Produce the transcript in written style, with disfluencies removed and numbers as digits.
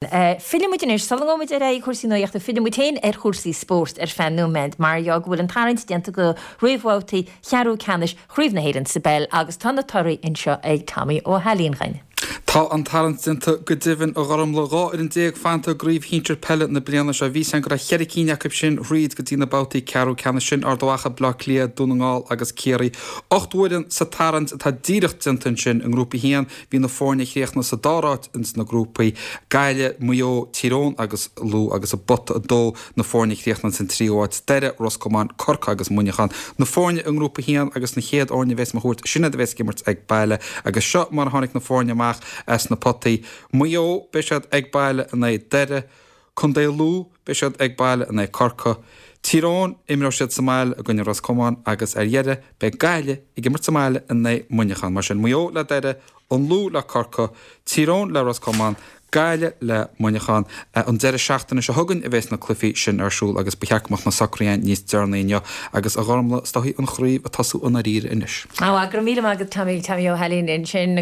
Fillfidh muid anois, sula ngabhfaidh muid ar aghaidh ag cúrsaí nuachta, fillfidh muid féin ar chúrsaí spóirt ar feadh nóiméad, mar gheall go bhfuil an tarraingt déanta do réamhbhabhtaí cheathrú ceannais Chraobh na hÉireann sa bpeil agus tá na torthaí anseo ag Tommy Ó hAilín dhuinn. Tá an tarraingt déanta go deimhin, a Ghormlaith. 12 fhoireann fanta i gcraobh shinsir peile na bliana seo. Bhí a fhios againn go raibh cheithre cinn acu sin thríd go dtí na babhtaí ceathrú ceannais sin, Ard Mhacha, Bleá Cliath, Dún na nGall agus Ciarraí. 8 bhfoireann sa tarraingt atá díreach déanta ansin i nGrúpa 1. Bhí na foirne a chríochnaigh sa dara háit ins na grúpaí, Gaillimh, Maigh Eo, Tír Eoghain agus Lú agus i bpota 2 na foirne a chríochnaigh san tríú háit, Doire, Ros Comáin, Corcaigh agus Muineachán. Na foirne i nGrúpa 1 agus na chéad fhoirne a bheas á dtabhairt, sin iad a bheas ag imirt ag baile agus seo mar a tháinig na foirne amach as na potaí, Maigh Eo, beidh siad ag baile in aghaidh Doire, Contae Lú, beidh siad ag baile in aghaidh Corcaigh. Tír Eoghain, imreoidh siad sa mbaile i gcoinne Ros Comáin agus ar dheireadh, beidh Gaillimh ag imirt sa mbaile in aghaidh Muineachán. Mar sin, Maigh Eo le Doire, An Lú le Corcaigh, Tír Eoghain le Ros Comáin, Gaillimh le Muineachán. An deireadh seachtaine seo chugainn a bheas na cluichí sin ar siúl agus ba cheart go mbeadh na socruithe ann níos deireanaí inniu agus a Ghormlaith, is dóichí an chraobh ag tosú i ndáiríre anois. Go raibh míle maith agat Tommy, Tommy Ó hAilín ansin.